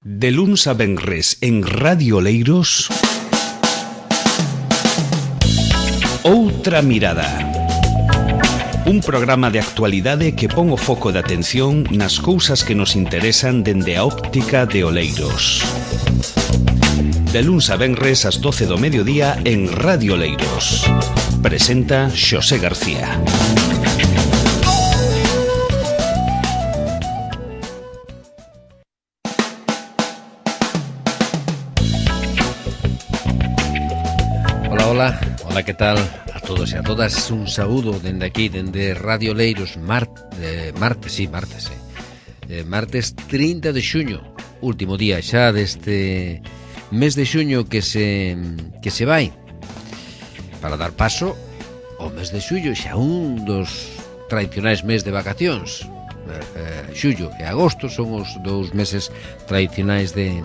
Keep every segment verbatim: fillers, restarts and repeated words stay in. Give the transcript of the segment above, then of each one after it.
De luns a venres en Radio Oleiros, Outra Mirada. Un programa de actualidade que pon o foco de atención nas cousas que nos interesan dende a óptica de Oleiros. De luns a venres ás doce do mediodía en Radio Oleiros. Presenta Xosé García. Hola, hola, hola, que tal a todos e a todas? Un saúdo dende aquí, dende Radio Oleiros, Mart, eh, martes, sí, martes, eh. Eh, martes trinta de xuño, último día xa deste mes de xuño que se que se vai, para dar paso ao mes de xullo, xa un dos tradicionais mes de vacacións. eh, Xullo e agosto son os dous meses tradicionais de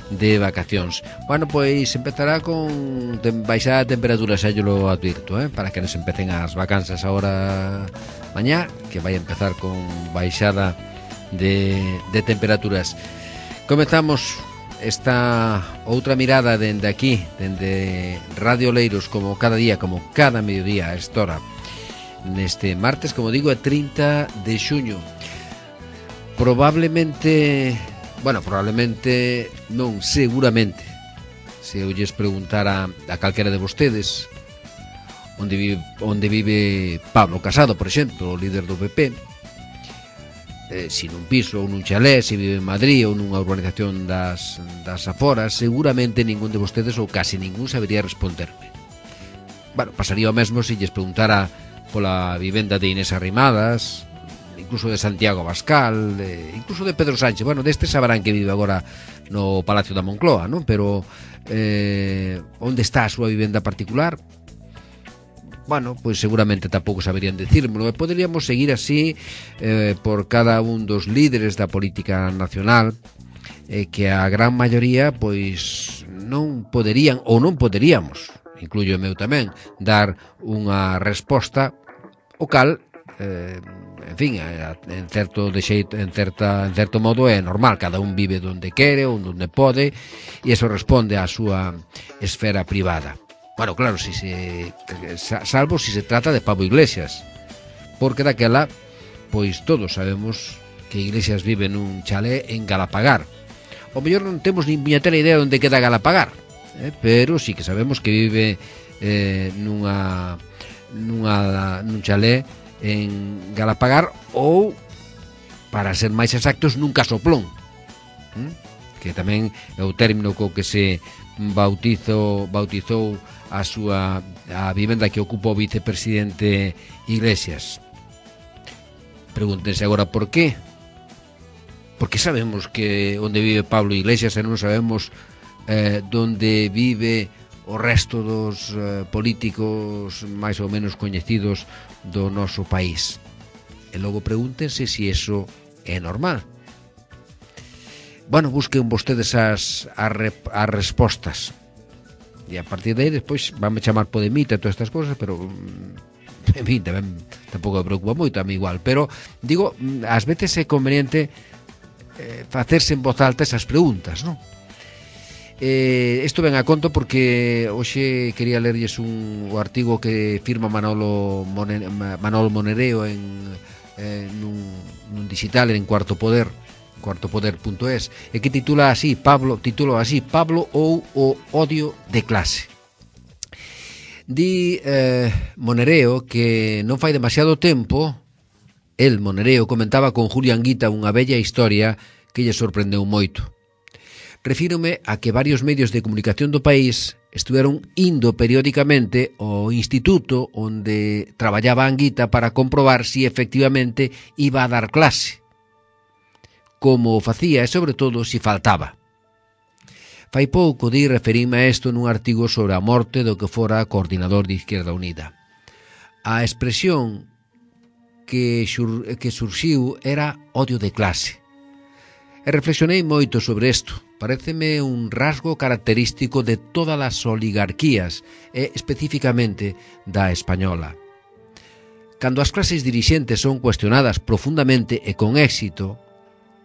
de vacacións. Bueno, pois empezará con baixada a temperatura, xa yo lo advirto, eh? Para que nos empecen as vacanzas agora mañá, que vai empezar con baixada de, de temperaturas. Comezamos esta outra mirada dende aquí, dende Radio Oleiros, como cada día, como cada mediodía a esta hora, neste martes, como digo, é trinta de xuño. Probablemente, bueno, probablemente non, seguramente, se eu lles preguntara a calquera de vostedes onde vive, onde vive Pablo Casado, por exemplo, o líder do P P, eh, si nun piso ou nun chalé, se vive en Madrid ou nunha urbanización das, das aforas, seguramente ningún de vostedes ou casi ningún sabería responderme. Bueno, pasaría o mesmo se lles preguntara pola vivenda de Inés Arrimadas, incluso de Santiago Abascal, de, incluso de Pedro Sánchez. Bueno, deste saberán que vive agora no Palacio da Moncloa, non? Pero eh, onde está a súa vivenda particular? Bueno, pois seguramente tampouco saberían decírmelo. E poderíamos seguir así eh, por cada un dos líderes da política nacional, eh, que a gran maioría pois non poderían ou non poderíamos, incluyo o meu tamén, dar unha resposta o cal, eh, en fin, en certo de xeito, en certa en certo modo é normal, cada un vive onde quere ou onde pode, e iso responde á súa esfera privada. Bueno, claro, si se salvo si se trata de Pablo Iglesias, porque daquela pois todos sabemos que Iglesias vive nun chalé en Galapagar. O mellor non temos nin puñetera idea onde queda Galapagar, eh, pero sí que sabemos que vive eh, nunha nunha nun chalé en Galapagar, ou, para ser máis exactos, nun casoplón, ¿Mm? que tamén é o término co que se bautizo, bautizou a súa a vivenda que ocupa o vicepresidente Iglesias. Pregúntense agora por qué. Porque sabemos que onde vive Pablo Iglesias e non sabemos eh, onde vive o resto dos eh, políticos máis ou menos coñecidos do noso país. E logo pregúntense se si eso é normal. Bueno, busquen vostedes as, as, as respostas. E a partir de aí, despois, vanme chamar podemita e todas estas cousas, pero, en fin, tamén tampouco me preocupa moito, a mí igual. Pero, digo, ás veces é conveniente eh, facerse en voz alta esas preguntas, non? Eh, isto ven a conto porque hoxe quería lerlles un o artigo que firma Manolo Moner, Manolo Monereo en, eh, nun, nun digital en Cuarto Poder, cuarto poder punto es, e que titula así, Pablo, titula así, Pablo ou o odio de clase. Di eh, Monereo que non fai demasiado tempo, el, Monereo, comentaba con Julio Anguita unha bella historia que lle sorprendeu moito. Refírome a que varios medios de comunicación do país estuveron indo periódicamente ao instituto onde traballaba Anguita para comprobar si efectivamente iba a dar clase, como o facía e, sobre todo, si faltaba. Fai pouco di referime a isto nun artigo sobre a morte do que fora coordinador de Izquierda Unida. A expresión que, xur, que surxiu era odio de clase. E reflexionei moito sobre isto. Paréceme un rasgo característico de todas as oligarquías e especificamente da española. Cando as clases dirixentes son cuestionadas profundamente e con éxito,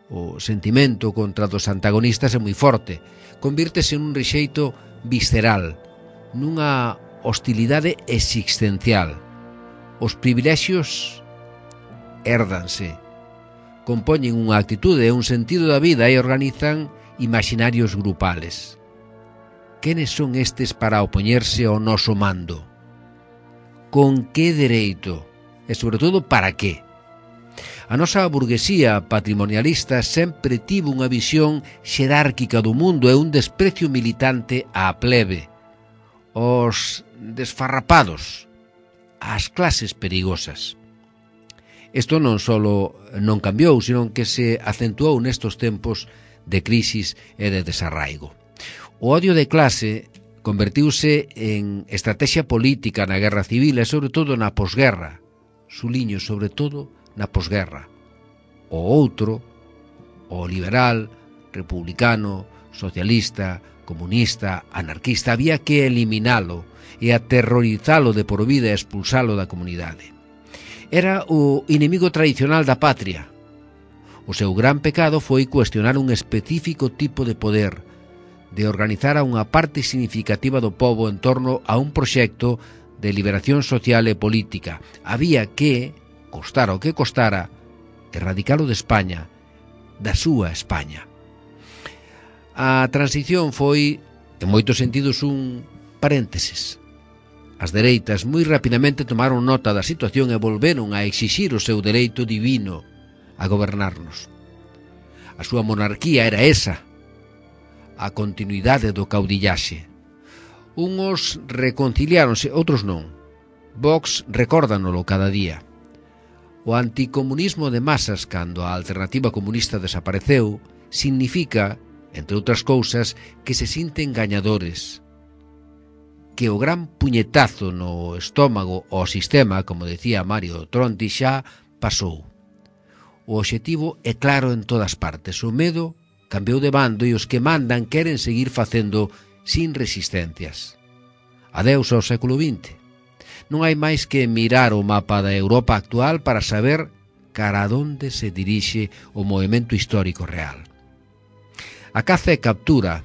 o sentimento contra dos antagonistas é moi forte. Convírtese nun rexeito visceral, nunha hostilidade existencial. Os privilexios hérdanse, compoñen unha actitude e un sentido da vida e organizan imaginarios grupales. Quenes son estes para opoñerse ao noso mando? Con que dereito? E, sobre todo, para que? A nosa burguesía patrimonialista sempre tivo unha visión xerárquica do mundo e un desprecio militante á plebe, aos desfarrapados, ás clases perigosas. Isto non só non cambiou, sino que se acentuou nestos tempos de crisis e de desarraigo. O odio de clase convertiuse en estrategia política na guerra civil e sobre todo na posguerra. Suliño, sobre todo, na posguerra. O outro, o liberal, republicano, socialista, comunista, anarquista, había que eliminalo e aterrorizalo de por vida e expulsalo da comunidade. Era o inimigo tradicional da patria. O seu gran pecado foi cuestionar un específico tipo de poder, de organizar a unha parte significativa do pobo en torno a un proxecto de liberación social e política. Había que, costara o que costara, erradicalo de España, da súa España. A transición foi, en moitos sentidos, un paréntesis. As dereitas moi rapidamente tomaron nota da situación e volveron a exixir o seu dereito divino a gobernarnos. A súa monarquía era esa, a continuidade do caudillaxe. Uns reconciliáronse, outros non. Vox recórdanolo cada día. O anticomunismo de masas, cando a alternativa comunista desapareceu, significa, entre outras cousas, que se sinten gañadores, que o gran puñetazo no estómago ao sistema, como decía Mario Tronti, xa pasou. O obxectivo é claro en todas partes. O medo cambiou de bando e os que mandan queren seguir facendo sin resistencias. Adeus ao século vinte. Non hai máis que mirar o mapa da Europa actual para saber cara a onde se dirixe o movimento histórico real. A caza e captura,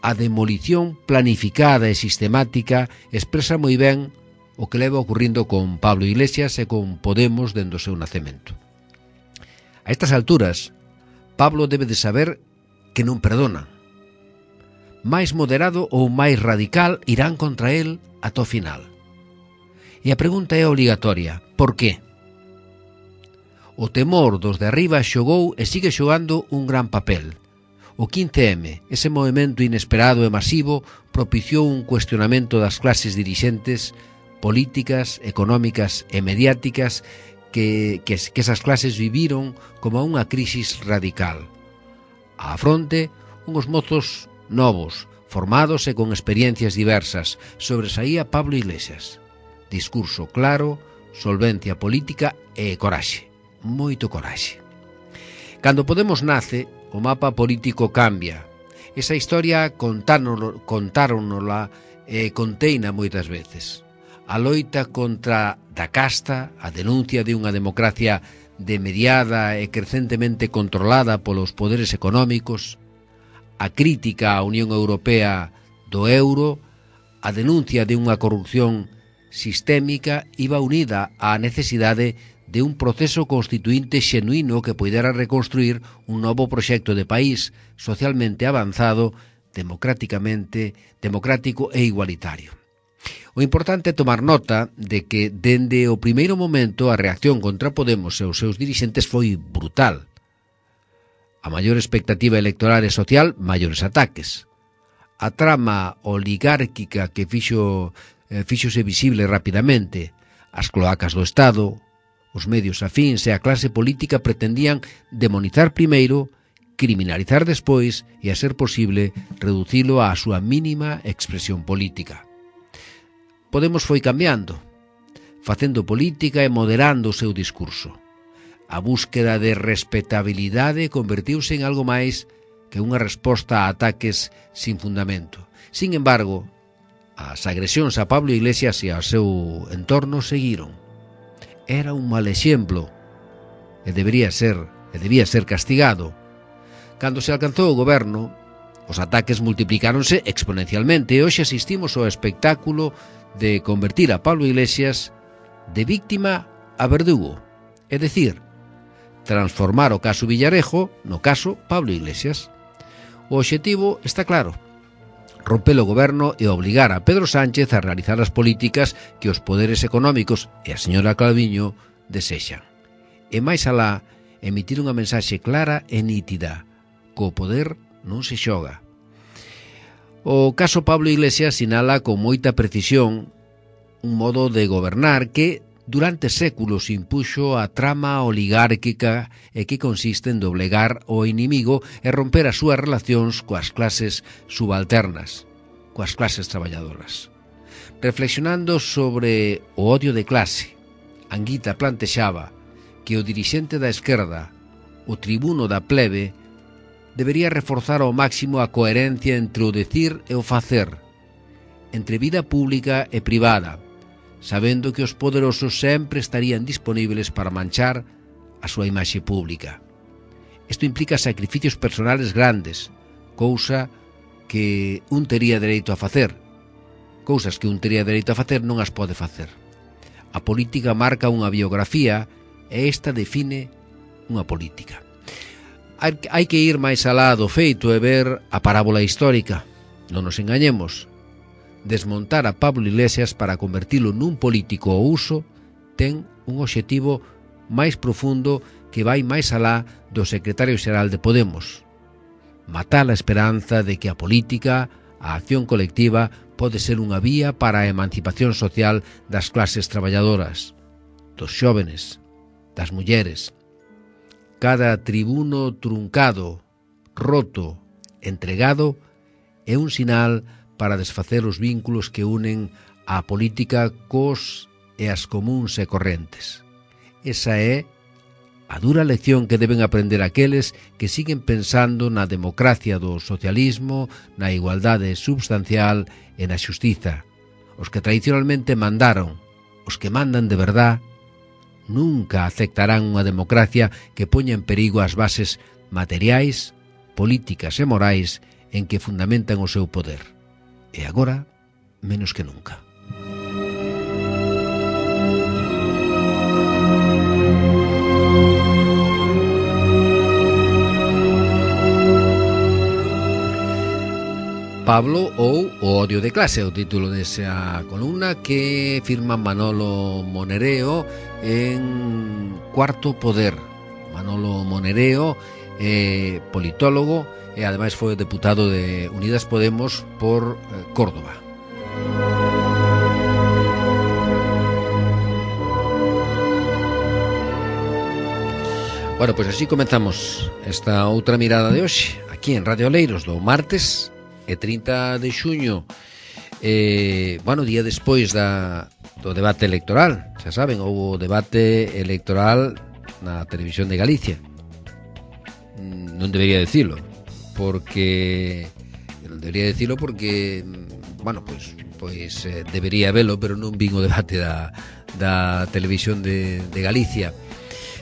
a demolición planificada e sistemática expresa moi ben o que leva ocurrindo con Pablo Iglesias e con Podemos dende o seu nacemento. A estas alturas, Pablo debe de saber que non perdonan. Máis moderado ou máis radical irán contra el ata o final. E a pregunta é obligatoria. Por qué? O temor dos de arriba xogou e sigue xogando un gran papel. O quince eme, ese movimento inesperado e masivo, propiciou un cuestionamento das clases dirixentes políticas, económicas e mediáticas que, que, que esas clases viviron como unha crisis radical. Á fronte, uns mozos novos, formados e con experiencias diversas, sobresaía Pablo Iglesias. Discurso claro, solvencia política e coraxe. Moito coraxe. Cando Podemos nace, o mapa político cambia. Esa historia contáronola e conteina moitas veces. A loita contra da casta, a denuncia de unha democracia demediada e crecentemente controlada polos poderes económicos, a crítica á Unión Europea do euro, a denuncia de unha corrupción sistémica iba unida á necesidade de un proceso constituinte xenuíno que poidera reconstruir un novo proxecto de país socialmente avanzado, democráticamente, democrático e igualitario. O importante é tomar nota de que, dende o primeiro momento, a reacción contra Podemos e os seus dirixentes foi brutal. A maior expectativa electoral e social, maiores ataques. A trama oligárquica que fixo, eh, fixose visible rapidamente, as cloacas do Estado, os medios afíns e a clase política pretendían demonizar primeiro, criminalizar despois e, a ser posible, reducilo á súa mínima expresión política. Podemos foi cambiando, facendo política e moderando o seu discurso. A búsqueda de respetabilidade convertiuse en algo máis que unha resposta a ataques sin fundamento. Sin embargo, as agresións a Pablo Iglesias e ao seu entorno seguiron. Era un mal exemplo e debería ser e debía ser castigado. Cando se alcanzou o goberno, os ataques multiplicáronse exponencialmente e hoxe asistimos ao espectáculo de convertir a Pablo Iglesias de víctima a verdugo, é dicir, transformar o caso Villarejo no caso Pablo Iglesias. O obxectivo está claro: romper o goberno e obligar a Pedro Sánchez a realizar as políticas que os poderes económicos e a señora Calviño desexan. E máis alá, emitir unha mensaxe clara e nítida: co poder non se xoga. O caso Pablo Iglesias sinala con moita precisión un modo de gobernar que durante séculos impuxo a trama oligárquica e que consiste en doblegar o inimigo e romper as súas relacións coas clases subalternas, coas clases traballadoras. Reflexionando sobre o odio de clase, Anguita plantexaba que o dirixente da esquerda, o tribuno da plebe, debería reforzar ao máximo a coherencia entre o decir e o facer, entre vida pública e privada, sabendo que os poderosos sempre estarían disponibles para manchar a súa imaxe pública. Isto implica sacrificios personales grandes, cousa que un tería dereito a facer. Cousas que un tería dereito a facer non as pode facer. A política marca unha biografía e esta define unha política. Hai que ir máis alá do feito e ver a parábola histórica. Non nos engañemos. Desmontar a Pablo Iglesias para convertilo nun político ao uso ten un obxectivo máis profundo que vai máis alá do secretario xeral de Podemos. Matar a esperanza de que a política, a acción colectiva, pode ser unha vía para a emancipación social das clases traballadoras, dos xóvenes, das mulleres. Cada tribuno truncado, roto, entregado é un sinal para desfacer os vínculos que unen a política cos e as comuns e correntes. Esa é a dura lección que deben aprender aqueles que siguen pensando na democracia do socialismo, na igualdade substancial e na xustiza. Os que tradicionalmente mandaron, os que mandan de verdad, nunca aceptarán unha democracia que poña en perigo as bases materiais, políticas e morais en que fundamentan o seu poder. E agora, menos que nunca. Pablo ou o odio de clase, o título desa columna que firma Manolo Monereo en Cuarto Poder. Manolo Monereo é politólogo e ademais foi deputado de Unidas Podemos por Córdoba. Bueno, pois así comenzamos esta outra mirada de hoxe aquí en Radio Oleiros do martes e trinta de xuño, eh, bueno, día despois da, do debate electoral. Xa saben, houve debate electoral na televisión de Galicia. Non debería decirlo, porque non debería decirlo porque, bueno, pois, pois eh, debería velo, pero non vin o debate da, da televisión de, de Galicia.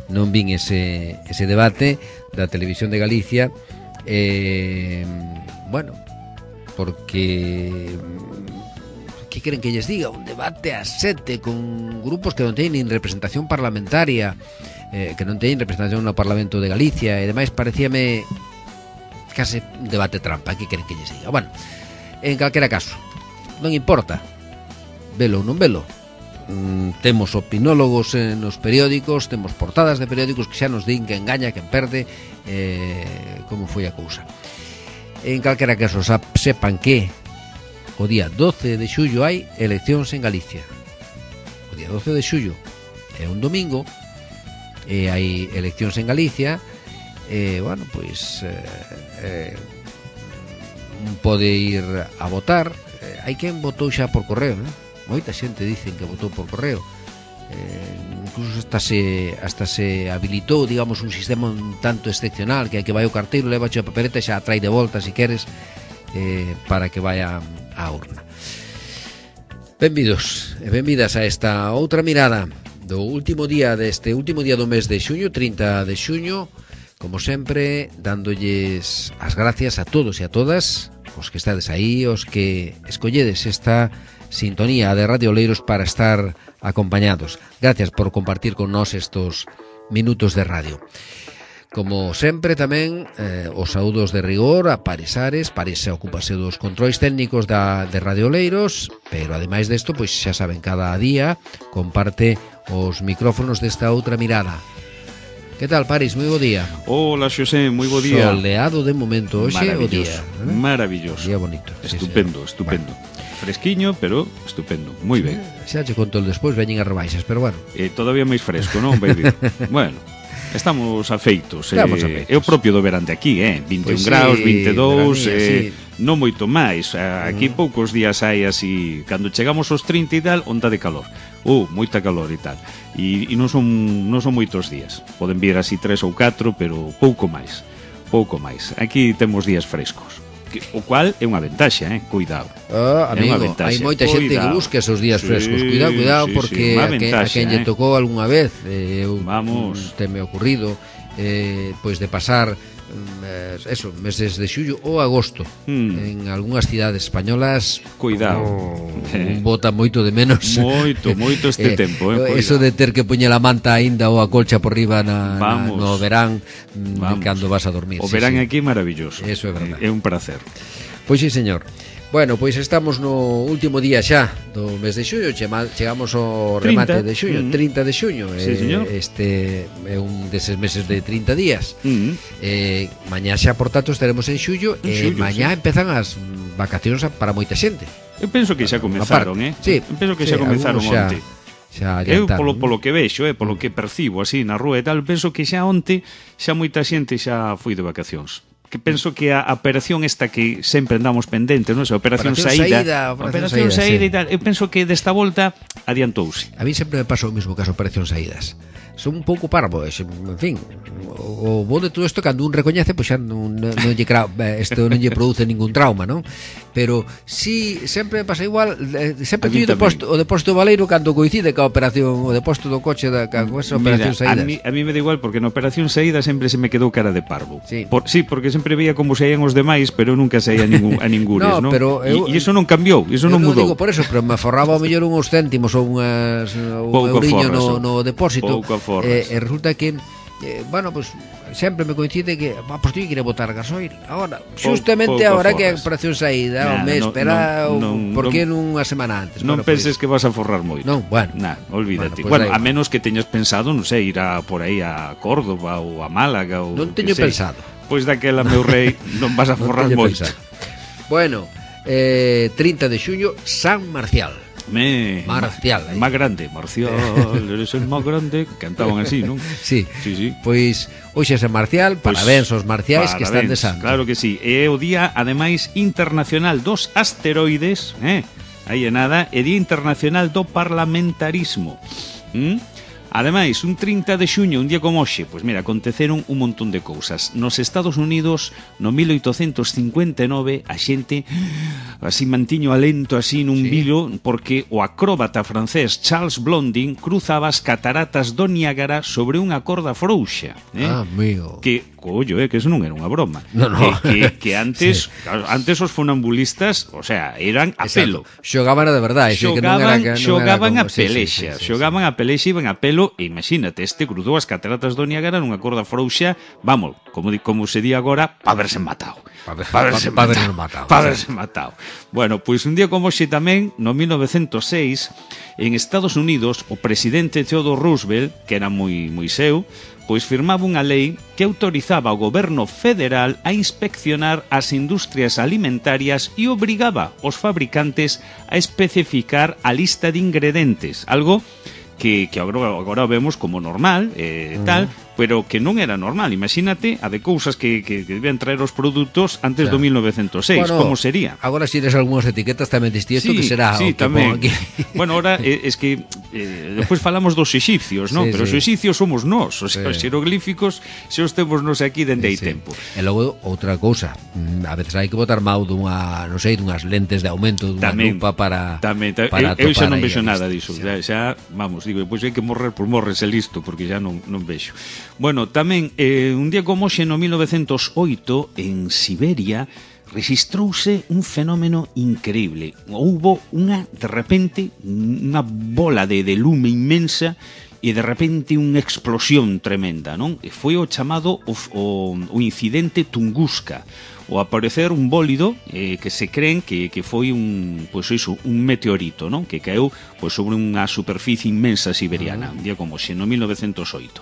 Non vin ese, ese debate da televisión de Galicia, eh, bueno, porque que queren que lles diga, un debate a sete con grupos que non teñen representación parlamentaria, eh, que non teñen representación no Parlamento de Galicia e demais, parecíame case un debate trampa. Que queren que lles diga? Bueno, en calquera caso, non importa velo ou non velo. Mm, temos opinólogos nos periódicos, temos portadas de periódicos que xa nos din que engaña, que perde, eh, como foi a cousa. En calquera caso, sepan que o día doce de xullo hai eleccións en Galicia. O día doce de xullo é un domingo e hai eleccións en Galicia e, bueno, pois eh, eh, pode ir a votar. Eh, hai quen votou xa por correo, né? Moita xente dicen que votou por correo. Eh, incluso hasta se, hasta se habilitou, digamos, un sistema un tanto excepcional, que hai que vai o carteiro, leva a papeleta e xa a trai de volta, se queres, eh, para que vaya á urna. Benvidos e benvidas a esta outra mirada do último día deste último día do mes de xuño, trinta de xuño, como sempre, dándolles as gracias a todos e a todas os que estades aí, os que escolledes esta sintonía de Radio Oleiros para estar acompañados. Gracias por compartir con nós estos minutos de radio. Como sempre tamén, eh, os saúdos de rigor a Paris Ares. Paris se ocupase dos controis técnicos da, de Radio Oleiros, pero ademais desto, pois xa saben, cada día comparte os micrófonos desta outra mirada. Que tal, Paris? Moi bo día. Hola, Xosé, moi bo día. Soleado de momento hoxe o día. ¿eh? Maravilloso. Día bonito. Estupendo, sí, estupendo. Bueno. Fresquiño, pero estupendo. Moi ben. Xa che conto el despois, veñen as rebaixas, pero bueno. Eh, todavía máis fresco, non, baby? Bueno, estamos afeitos. Estamos eh, afeitos. É o propio do verán de aquí, eh? vinte e un Pois graus, sí, vinte e dous, veranía, eh, sí. Non moito máis. Aquí Mm. poucos días hai así, cando chegamos aos trinta e tal, onda de calor. Uh, moita calor e tal. E, e non son non son moitos días. Poden vir así tres ou catro, pero pouco máis. Pouco máis. Aquí temos días frescos. Que, o cual é unha ventaxa, eh? Cuidado. Oh, amigo, hai moita xente que busca esos días sí, frescos. Cuidado, cuidado, sí, porque sí, a, que, ventaxa, a quen lle eh? tocou algunha vez, eh, eu, Vamos. te me ocurrido, eh, pois de pasar eh, eso, meses de xullo ou agosto Mm. en algunhas cidades españolas. Cuidado. Oh, Eh. un bota moito de menos. Moito, moito este tempo, eh, Eso cuidado. de ter que poñer a manta aínda ou a colcha por riba na, na, Vamos. no verán, mm, Vamos. cando vas a dormir. O sí, verán sí. aquí maravilloso. Eso é verdade. É un placer. Pois sí, señor. Bueno, pois estamos no último día xa do mes de xuño, chema- chegamos ao remate trinta. de xuño, Mm. trinta de xuño. Sí, señor. Este é un deses meses de trinta días. Mm. Eh, mañá xa, por tanto, estaremos en xullo En e xullo, mañá sí. empezan as mm, vacacións a- para moita xente. Eu penso que xa comezaron, eh? Sí, Eu penso que sí, xa comezaron algúns xa- onte. xa Eu adiantaron. polo polo que vexo, eh, polo que percibo así na rúa e tal, penso que xa onte xa moita xente xa foi de vacacións. Que penso que a, a operación esta que sempre andamos pendente, non? Esa operación, Operación saída, saída, operación operación saída, saída sí. e tal. Eu penso que desta volta adiantouse. A mí sempre me pasa o mismo que as operacións saídas. Son un pouco parvo, e, en fin, o, o bo de todo isto cando un recoñece, pois xa non, non, non lle cra, isto non lle produce ningún trauma, non? Pero si sempre me pasa igual, eh, sempre A mí teño o tamén. depósito, o depósito baleiro cando coincide ca operación, o depósito do coche da ca, con esa operación Mira, saídas. a mí, a mí me da igual porque na operación saída sempre se me quedou cara de parvo. Sí. Por, sí, porque sempre veía como saían os demais, pero nunca saía ningún, a ningures, No, non? pero eu- E iso non cambiou, iso Eu non non mudou. digo por eso, pero me forraba ao mellor uns céntimos ou unhas un Pouco euriño aforras, no, oh. no depósito. Pouco aforras. E, e resulta que eh, bueno, pues sempre me coincide que ah, pues teño que ir a botar gasoil. Agora, xustamente pouco agora que a aforras. operación saída, Nah, o mes, no, espera, no, o- non- por que non- nunha semana antes? Non Bueno, pues, penses que vas a forrar moito. Non, bueno. Nah, olvídate. Bueno, pues Bueno, da a igual. menos que teñas pensado, non sei, ir a, por aí a Córdoba ou a Málaga ou Non que teño sei. pensado. Pois daquela, meu rei, non vas a Non forrar teño moito. pensado. Bueno, eh, trinta de xuño, San Marcial. Me, Marcial, aí. Más grande, Marcial, eres el más grande. Cantaban así, non? Sí. Sí, sí. Pois hoxe é San Marcial, Pois, parabéns aos marciais que están de parabéns, santo. Claro que sí. É o día, ademais, internacional dos asteroides, eh? Aí é nada, é Día Internacional do Parlamentarismo. ¿Mm? Ademais, un trinta de xuño, un día como hoxe, pois mira, aconteceron un montón de cousas. Nos Estados Unidos, no mil oitocentos cincuenta e nove, a xente así mantiño alento así nun Sí. vilo porque o acróbata francés Charles Blondin cruzaba as cataratas do Niágara sobre unha corda frouxa, eh? Ah, amigo. Que, collo, eh, que eso non era unha broma. No, no. Que, que, que antes, Sí. claro, antes os funambulistas, o sea, eran a pelo. Exacto. Xogaban a de verdade, que non era, Xogaban, que non era xogaban como- a sí, sí, pelexa, sí, sí, xogaban a pelexa, iban a pelo, e imagínate, este cruzou as cataratas do Niágara nunha corda frouxa, vamos, como di, como se di agora, pa verse matado. Pa ver- Pa verse pa- pa matado. verse matado, Pa sí. verse matado. Bueno, pois un día como hoxe tamén, no mil novecentos seis, en Estados Unidos, o presidente Theodore Roosevelt, que era moi moi seu, pois firmaba unha lei que autorizaba ao goberno federal a inspeccionar as industrias alimentarias e obrigaba os fabricantes a especificar a lista de ingredientes, algo que, que agora, agora vemos como normal, eh, uh-huh. tal, pero que non era normal. Imagínate a de cousas que, que, que debían traer os produtos antes Claro. do mil novecentos seis, Bueno, como sería? Agora si eres algunhas etiquetas tamén diste isto que será sí, o que tamén. pon aquí. Bueno, ahora eh, es que eh, despois falamos dos exipcios, non? Sí, Pero sí. os exipcios somos nós, o sea, Sí. os xeroglíficos se os temos nos aquí dende hai Sí. tempo. E logo, outra cousa, mm, a veces hai que botar mau dunha, non sei, dunhas lentes de aumento, dunha Tamén, lupa para, tamén, ta, para eu, eu xa topar non aí vexo a nada vista. diso, xa, xa, vamos, digo, pois hai que morrer por morrese listo, porque xa non, non vexo. Bueno, tamén, eh, un día como hoxe, no mil novecentos oito, en Siberia, registrouse un fenómeno increíble. Houbo unha, de repente, unha bola de, de lume inmensa e de repente unha explosión tremenda, non? E foi o chamado o, o, o incidente Tunguska, o aparecer un bólido eh, que se creen que, que foi un, pois iso, un meteorito, non? Que caeu pois, sobre unha superficie inmensa siberiana, un día como hoxe, no mil novecentos oito.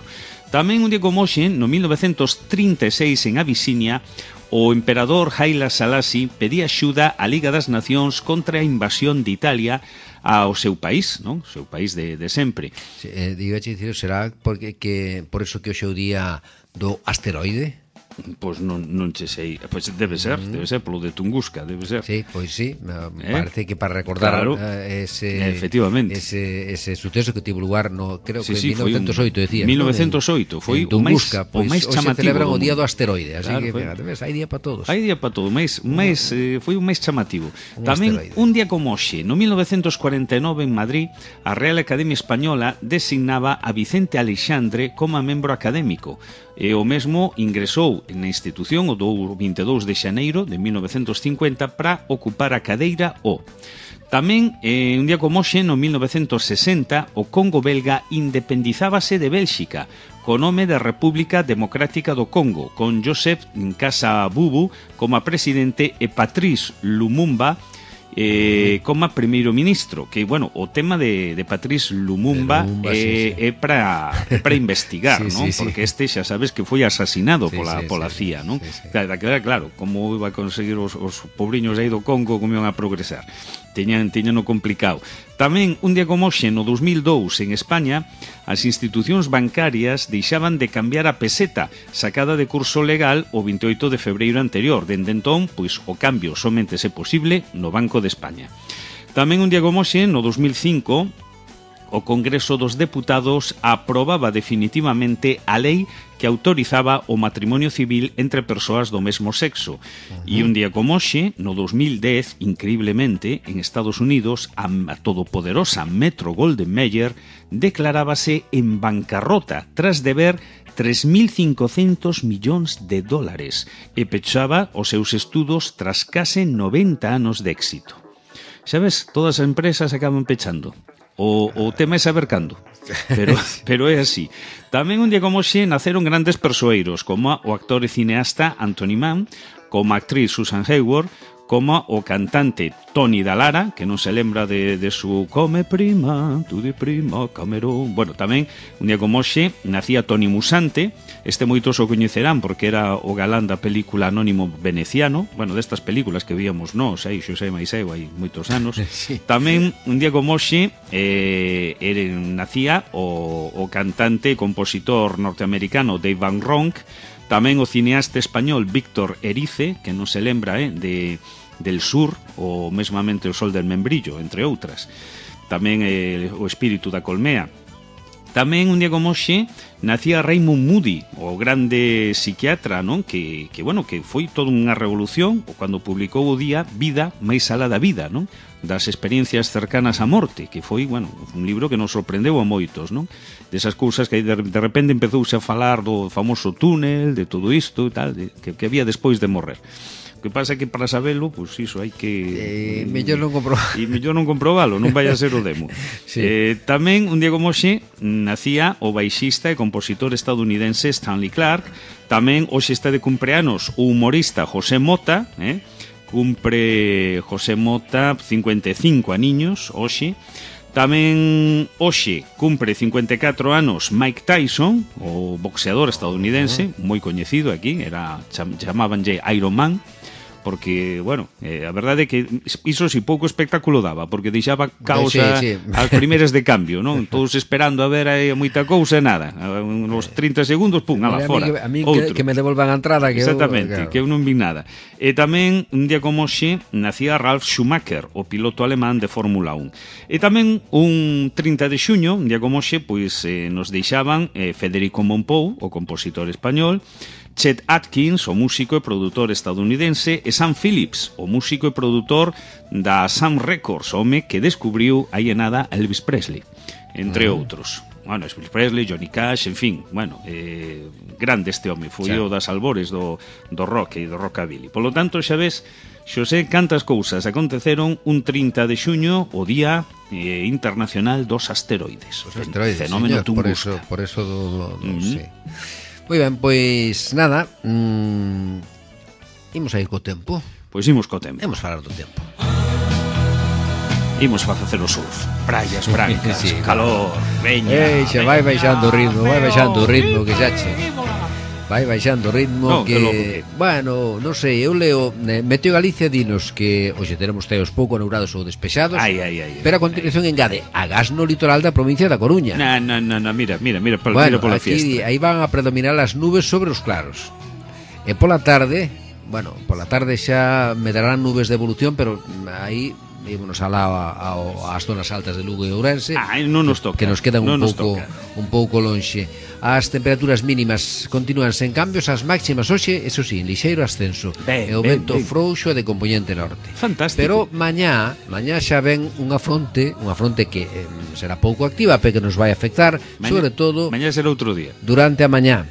Tamén un día como hoxe, no mil novecentos trinta e seis, en Abisinia, o emperador Haile Selassie pedía axuda á Liga das Nacións contra a invasión de Italia ao seu país, non? O seu país de, de sempre. Sí, eh, digo, dicir, será porque que por eso que hoxe é o día do asteroide? Pois non, non che sei, pois debe ser, debe ser polo de Tunguska, debe ser. Sí, pois sí, me Eh? parece que para recordar Claro. eh, ese Efectivamente. ese ese suceso que tivo lugar no creo Sí, que sí, en foi mil novecentos oito un- decía. mil novecentos oito, foi o máis- o máis hoxe chamativo celebran do o día mundo. do asteroide, así Claro, que foi. fíjate, ves, hai día para todos. Hai día para todo, máis, máis, eh, foi o máis chamativo. Un Tamén, asteroide. un día como hoxe, no mil novecentos cuarenta e nove en Madrid, a Real Academia Española designaba a Vicente Aleixandre como membro académico, e o mesmo ingresou na institución o do vinte e dous de xaneiro de mil novecentos cincuenta para ocupar a cadeira O. Tamén, eh, un día como hoxe, no mil novecentos sesenta, o Congo belga independizábase de Bélxica, co nome de República Democrática do Congo, con Joseph Nkasa-Bubu como a presidente e Patrice Lumumba eh, como a primeiro ministro, que, bueno, o tema de, de Patrice Lumumba, De Lumumba, eh, sí, sí. é para é para investigar, Sí, non? sí, sí. Porque este xa sabes que foi asasinado Sí, pola, sí, pola sí, C I A, non? sí, sí. Claro, claro, claro, como iba a conseguir os, os pobriños aí do Congo como iban a progresar. Teñan, teñan o complicado. Tamén, un día como hoxe, no dos mil dous, en España, as institucións bancarias deixaban de cambiar a peseta sacada de curso legal o vinte e oito de febreiro anterior. Dende entón, pois, o cambio somente se posible no Banco de España. Tamén un día como hoxe, no dos mil cinco, o Congreso dos Deputados aprobaba definitivamente a lei que autorizaba o matrimonio civil entre persoas do mesmo sexo. E un día como hoxe, no dos mil dez, increíblemente, en Estados Unidos, a, a todopoderosa Metro Golden Mayer declarábase en bancarrota tras deber tres mil cincocentos millóns de dólares e pechaba os seus estudos tras case noventa anos de éxito. Sabes, todas as empresas acaban pechando. O, o tema é saber cando, pero, pero é así. Tamén un día como hoxe naceron grandes persoeiros, como o actor e cineasta Anthony Mann, como a actriz Susan Hayward, como o cantante Tony Dallara, que non se lembra de, de su Come prima, tu di prima, Camerón. Bueno, tamén, un día como hoxe, nacía Tony Musante. Este moitos o coñecerán porque era o galán da película Anónimo Veneciano. Bueno, destas películas que víamos nós, aí, Xosé máis eu, hai moitos anos. Sí. Tamén, un día como hoxe, eh, era, nacía o, o cantante e compositor norteamericano Dave Van Ronk. Tamén o cineasta español Víctor Erice, que non se lembra, eh, de del Sur, ou mesmamente o Sol del Membrillo, entre outras. Tamén eh, o Espírito da Colmea. Tamén un día como hoxe nacía Raymond Moody, o grande psiquiatra, non? Que, que bueno, que foi toda unha revolución cando publicou o día Vida máis alá da vida, non? Das experiencias cercanas á morte, que foi, bueno, un libro que nos sorprendeu a moitos, non? Desas cousas que de, de repente empezouse a falar do famoso túnel, de todo isto e tal, de, que, que había despois de morrer. O que pasa é que para sabelo, pois pues, iso hai que... Eh, mellor non comprobar. E mellor non comprobalo, non vai a ser o demo. Sí. eh, Tamén, un día como hoxe, nacía o baixista e compositor estadounidense Stanley Clarke. Tamén hoxe está de cumpleanos o humorista José Mota, eh? Cumpre José Mota cincuenta e cinco aniños hoxe. Tamén hoxe cumpre cincuenta e catro anos Mike Tyson, o boxeador estadounidense, moi coñecido aquí, era cham, chamábanlle Iron Man. porque, bueno, eh, a verdade é que iso si pouco espectáculo daba, porque deixaba causa sí, sí. as primeiras de cambio, non? Todos esperando a ver aí moita cousa e nada. Nos trinta segundos, pum, ala, fora. A mí, a mí que, que me devolvan a entrada. Que Exactamente, eu, claro. que eu non vi nada. E tamén, un día como hoxe, nacía Ralf Schumacher, o piloto alemán de Fórmula un. E tamén, un trinta de xuño, un día como hoxe, pois eh, nos deixaban eh, Federico Mompou, o compositor español, Chet Atkins, o músico e produtor estadounidense, e Sam Phillips, o músico e produtor da Sam Records, home que descubriu aí en nada Elvis Presley, entre uh -huh. outros. Bueno, Elvis Presley, Johnny Cash, en fin, bueno, eh, grande este home, foi o das albores do, do rock e do rockabilly. Por lo tanto, xa ves, Xosé, cantas cousas aconteceron un trinta de xuño, o Día eh, Internacional dos Asteroides. Os asteroides, fenómeno señor, por eso, por eso do, do, do, uh -huh. sí. Moi ben, pois nada, mmm, imos a ir co tempo. Pois imos co tempo. Imos falar do tempo. Imos a facer o surf, praias brancas, sí, calor, veña. Ei, xa vai baixando o ritmo, vai baixando o ritmo que xa che. Vai baixando o ritmo no, que, que... Bueno, non sei, eu leo Meteo Galicia dinos que hoxe teremos teos pouco aneurados ou despexados. Ai, ai, ai. Pero a continuación ai. engade agás no litoral da provincia da Coruña. Na, na, na, na mira, mira, mira, mira, bueno, mira pola aquí, fiesta. Aí van a predominar as nubes sobre os claros. E pola tarde, bueno, pola tarde xa me darán nubes de evolución, pero aí ímonos alá ás zonas altas de Lugo e Ourense. Ah, non nos toca. Que nos quedan non un pouco un pouco lonxe. As temperaturas mínimas continúan sen cambios, as máximas hoxe, eso sí, en lixeiro ascenso. Ben, e o vento ben, ben. frouxo e de componente norte. Fantástico. Pero mañá, mañá xa ven unha fronte, unha fronte que eh, será pouco activa, pero que nos vai afectar, mañá, sobre todo mañá será outro día. Durante a mañá.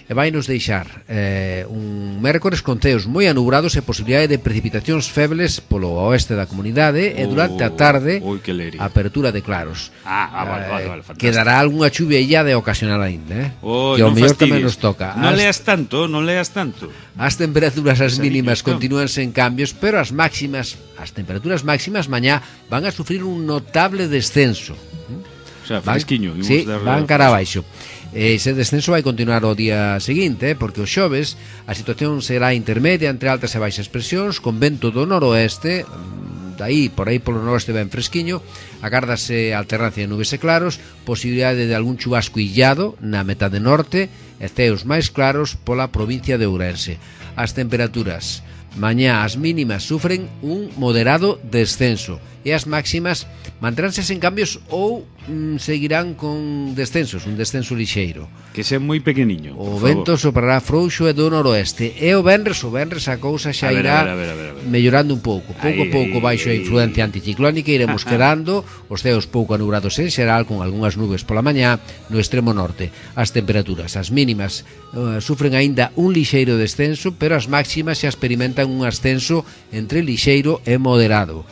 E vai nos deixar eh, un mércores con ceos moi anubrados e posibilidade de precipitacións febles polo oeste da comunidade, oh, e durante a tarde ui, apertura de claros. Ah, ah vale, vale, vale, fantástico. Quedará algunha chuvia illada e ocasional aínda, eh? Oh, que ao mellor tamén nos toca. Non as... leas tanto, non leas tanto. As temperaturas as mínimas continúan sen cambios, pero as máximas, as temperaturas máximas mañá van a sufrir un notable descenso. O sea, fresquiño. Van, sí, van cara abaixo. Ese descenso vai continuar o día seguinte, porque o xoves a situación será intermedia entre altas e baixas presións, con vento do noroeste, daí, por aí polo noroeste ben fresquiño, agárdase alternancia de nubes e claros, posibilidade de algún chubasco illado na metade norte e ceos máis claros pola provincia de Ourense. As temperaturas mañá as mínimas sufren un moderado descenso e as máximas manteránse sen cambios ou mm, seguirán con descensos, un descenso lixeiro. Que sea moi pequeniño. O vento soprará frouxo e do noroeste. E o venres, o venres a cousa xa a ver, irá a ver, a ver, a ver, a ver. mellorando un pouco. Pouco a pouco baixo a influencia anticiclónica iremos quedando, os ceos pouco anubrados en xeral, con algunhas nubes pola mañá no extremo norte. As temperaturas, as mínimas, uh, sufren aínda un lixeiro descenso, pero as máximas xa experimentan un ascenso entre lixeiro e moderado.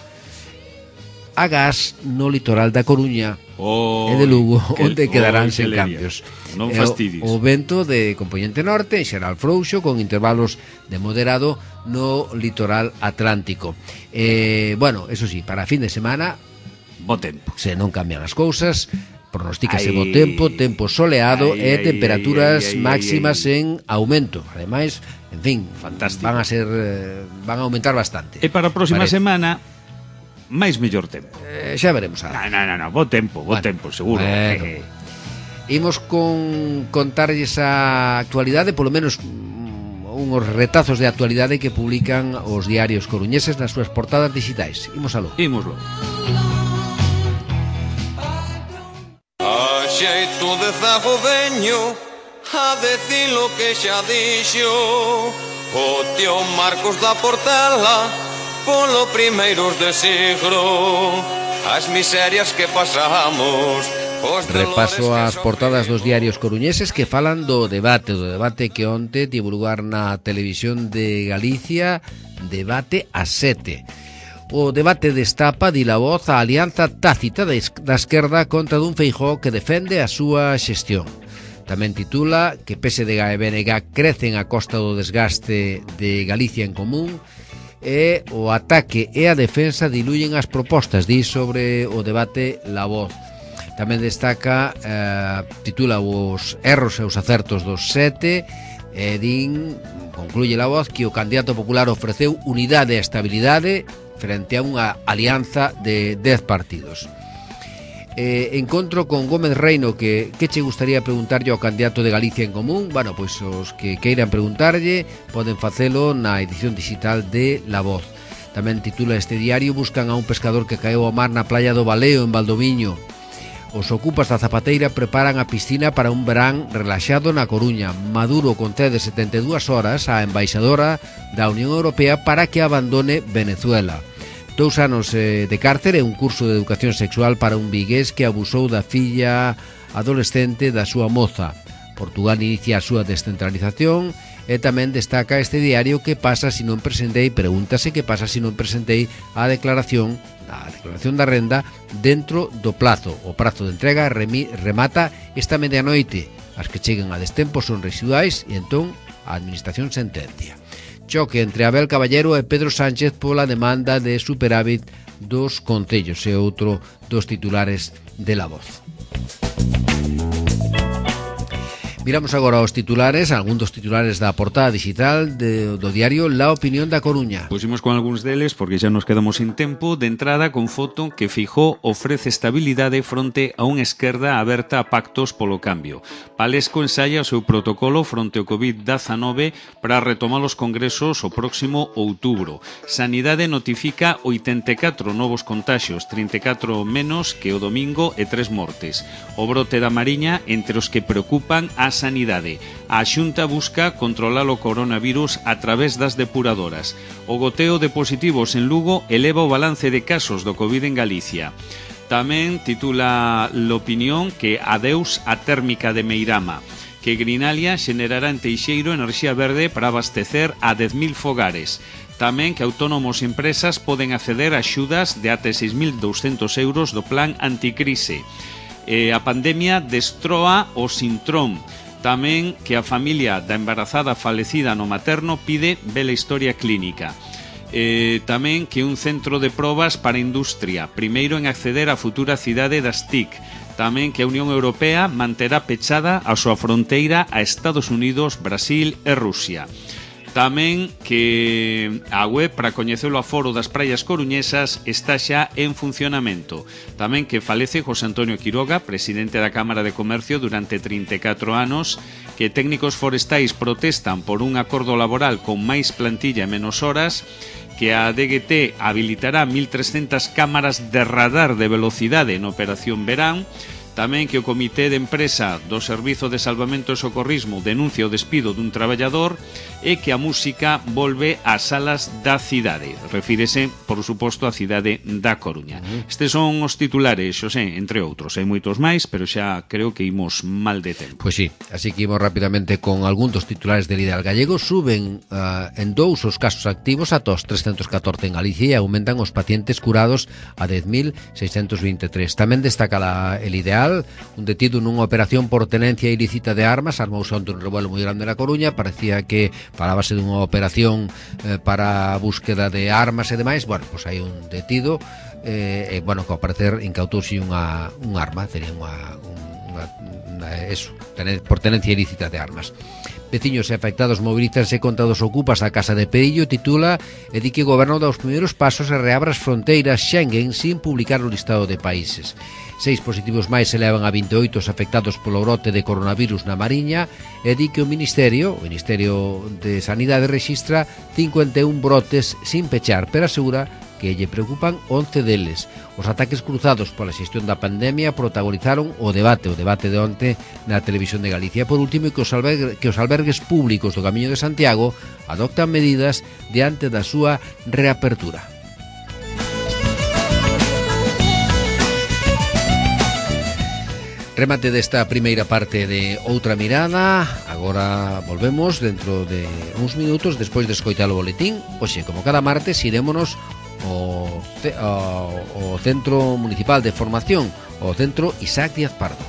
Agás no litoral da Coruña oh, e de Lugo, que, onde quedarán oh, sen cambios. Non fastidies. O, o vento de componente norte, en xeral frouxo, con intervalos de moderado no litoral atlántico. Eh, bueno, eso sí, para fin de semana, bo tempo. Se non cambian as cousas, pronostícase bo tempo, tempo soleado ay, e ay, temperaturas ay, ay, ay, máximas ay, ay. en aumento. Ademais, en fin, fantástico. Van a ser van a aumentar bastante. E para a próxima parece. semana máis mellor tempo. Eh, xa veremos. Non, non, non, no, bo tempo, bo bueno, tempo, seguro. Bueno. Eh. Imos con contarlles a actualidade, polo menos uns retazos de actualidade que publican os diarios coruñeses nas súas portadas digitais. Imos aló. Imoslo. A xeito de zago veño a decir lo que xa dixo o tío Marcos da Portela polo primeiros de siglo, as miserias que pasamos. Repaso as portadas dos diarios coruñeses que falan do debate, do debate que onte tivo lugar na televisión de Galicia, debate a sete. O debate destapa, di la voz, a alianza tácita da esquerda contra dun Feijóo que defende a súa xestión. Tamén titula que P S D G e B N G crecen a costa do desgaste de Galicia en Común, e o ataque e a defensa diluyen as propostas, di sobre o debate La Voz. Tamén destaca, eh, titula os erros e os acertos dos sete, e din concluye La Voz que o candidato popular ofreceu unidade e estabilidade frente a unha alianza de dez partidos. Eh, encontro con Gómez Reino que que che gustaría preguntarlle ao candidato de Galicia en Común. Bueno, pois os que queiran preguntarlle poden facelo na edición digital de La Voz. Tamén titula este diario: buscan a un pescador que caeu ao mar na playa do Baleo en Valdoviño. Os ocupas da Zapateira preparan a piscina para un verán relaxado na Coruña. Maduro concede setenta e dúas horas á embaixadora da Unión Europea para que abandone Venezuela. Dous anos eh, de cárcere e un curso de educación sexual para un vigués que abusou da filla adolescente da súa moza. Portugal inicia a súa descentralización e tamén destaca este diario que pasa se non presentei, pregúntase que pasa se non presentei a declaración, a declaración da renda dentro do plazo. O prazo de entrega remi, remata esta medianoite. As que cheguen a destempo son residuais e entón a administración sentencia. Choque entre Abel Caballero e Pedro Sánchez pola demanda de superávit dos concellos, e outro dos titulares de La Voz. Miramos agora os titulares, algún dos titulares da portada digital de, do diario La Opinión da Coruña. Pusimos con algúns deles porque xa nos quedamos sin tempo. De entrada, con foto que Feijóo ofrece estabilidade fronte a unha esquerda aberta a pactos polo cambio. Palesco ensaya o seu protocolo fronte ao covid dezanove para retomar os congresos o próximo outubro. Sanidade notifica oitenta e catro novos contaxios, trinta e catro menos que o domingo e tres mortes. O brote da Mariña entre os que preocupan a sanidade. A Xunta busca controlar o coronavirus a través das depuradoras. O goteo de positivos en Lugo eleva o balance de casos do Covid en Galicia. Tamén titula L'Opinión que adeus a térmica de Meirama, que Grinalia xenerará en Teixeiro enerxía verde para abastecer a dez mil fogares. Tamén que autónomos e empresas poden acceder a axudas de até seis mil douscentos euros do plan anticrise. Eh, a pandemia destroa o Sintrón. Tamén que a familia da embarazada falecida no materno pide vela historia clínica. Eh, tamén que un centro de probas para a industria, primeiro en acceder á futura cidade das T I C. Tamén que a Unión Europea manterá pechada a súa fronteira a Estados Unidos, Brasil e Rusia. Tamén que a web para coñecer o aforo das praias coruñesas está xa en funcionamento. Tamén que falece José Antonio Quiroga, presidente da Cámara de Comercio durante trinta e catro anos, que técnicos forestais protestan por un acordo laboral con máis plantilla e menos horas, que a D G T habilitará mil trescentas cámaras de radar de velocidade na Operación Verán. Tamén que o Comité de Empresa do Servizo de Salvamento e Socorrismo denuncia o despido dun traballador e que a música volve ás salas da cidade. Refírese, por suposto, á cidade da Coruña. Estes son os titulares, Xosé, entre outros. Hai moitos máis, pero xa creo que imos mal de tempo. Pois sí, así que imos rapidamente con algún dos titulares del Ideal Gallego. Suben uh, en dous os casos activos ata os trescentos catorce en Galicia e aumentan os pacientes curados a dez mil seiscentos vinte e tres. Tamén destaca la, el Ideal. Un detido nunha operación por tenencia ilícita de armas. Armouse onte un revuelo moi grande na Coruña. Parecía que falábase dunha operación eh, para a búsqueda de armas e demais. Bueno, pois hai un detido eh, e, bueno, que ao parecer incautouse unha, un arma. Sería unha, unha, unha eso, tener, por tenencia ilícita de armas. Veciños e afectados mobilízanse contra dos ocupas a Casa de Perillo. Titula e di que o goberno dá os primeiros pasos e reabre as fronteiras Schengen sin publicar o listado de países. Seis positivos máis se levan a vinte e oito os afectados polo brote de coronavirus na Mariña e di que o Ministerio, o Ministerio de Sanidade rexistra cincuenta e un brotes sin pechar, pero asegura que lle preocupan once deles. Os ataques cruzados pola xestión da pandemia protagonizaron o debate, o debate de onte na Televisión de Galicia. Por último, que os, albergue, que os albergues públicos do Camiño de Santiago adoptan medidas diante da súa reapertura. Remate desta primeira parte de Outra Mirada. Agora volvemos dentro de uns minutos despois de escoitar o boletín. Oxe, como cada martes, irémonos ao, ao, ao Centro Municipal de Formación, ao Centro Isaac Díaz Pardo.